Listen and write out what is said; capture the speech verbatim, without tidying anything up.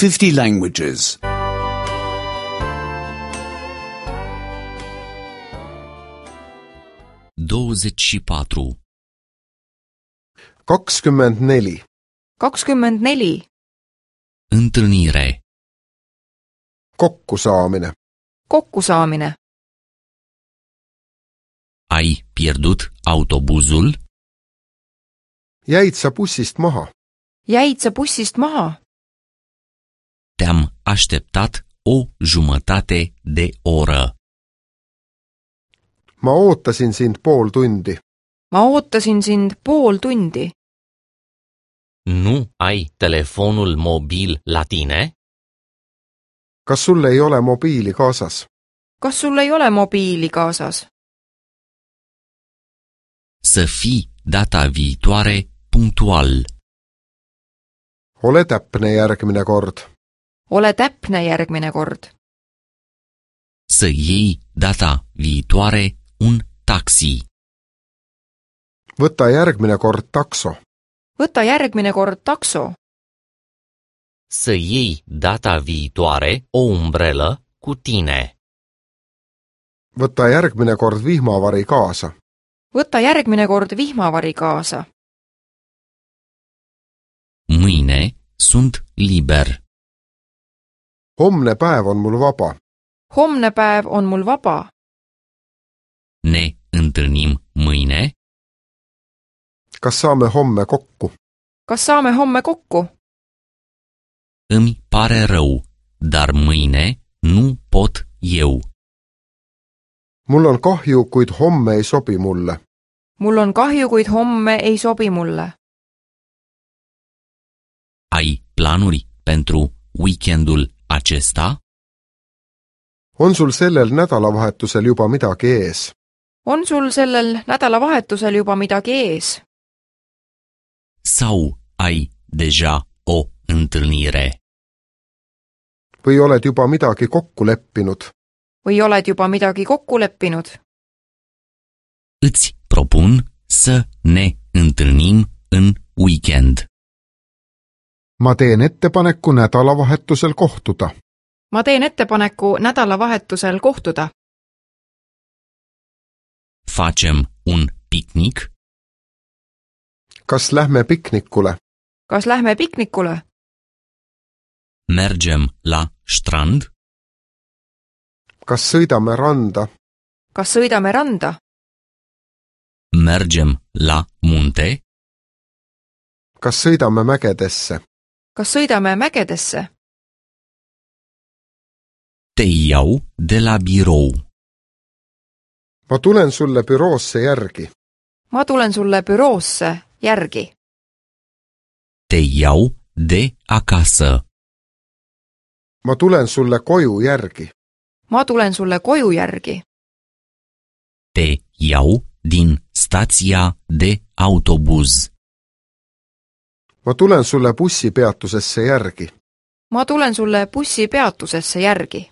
fifty languages. douăzeci și patru. kakskümmend neli. kakskümmend neli. Întâlnire. Kokkusaamine. Kokkusaamine. Ai pierdut autobuzul? Jäid sa bussist maha? Jäid sa bussist maha? Te-am așteptat o jumătate de oră. Ma ootasin sind pool tundi. Ma ootasin sind pool tundi. Nu ai telefonul mobil la tine? Kas sul ei ole mobiili kaasas? Kas sul ei ole mobiili kaasas? Să fii data viitoare punctual. Ole täpne järgmine kord. Ole täpne järgmine kord. Să iei data viitoare un taxi. Võta järgmine kord takso. Võta järgmine kord takso. Să iei data viitoare o umbrelă cu tine. Võta järgmine kord vihmavari kaasa. Võta järgmine kord vihmavari kaasa. Mâine sunt liber. Homne päev on mul vaba. Homne päev on mul vaba. Ne întâlnim mâine? Kas saame homme kokku? Kas saame homme kokku? Îmi pare rău, dar mâine nu pot eu. Mul on kahju, kuid homme ei sobi mulle. Mul on kahju, kuid homme ei sobi mulle. Ai planuri pentru weekendul acesta? On sul sellel nädalavahetusel juba midagi ees? On sul sellel nädalavahetusel juba midagi ees? Sau ai deja o întâlnire? Või oled juba midagi kokku leppinud? Või oled juba midagi kokku leppinud? Îți propun să ne întâlnim în weekend. Ma teen ettepaneku nädalavahetusel kohtuda. Ma teen ettepaneku nädalavahetusel kohtuda. Facem un picnic? Kas lähme piknikule? Kas lähme piknikule? Mergem la strand? Kas sõidame randa? Kas sõidame randa? Mergem la munte? Kas sõidame mägedesse? Kas sõidame mägedesse? Te iau de la birou. Ma tulen sulle büroosse järgi. Ma tulen sulle büroosse järgi. Te iau de acasă. Ma tulen sulle koju järgi. Ma tulen sulle koju järgi. Te iau din stația de autobuz. Ma tulen sulle bussipeatusesse järgi. Ma tulen sulle bussipeatusesse järgi.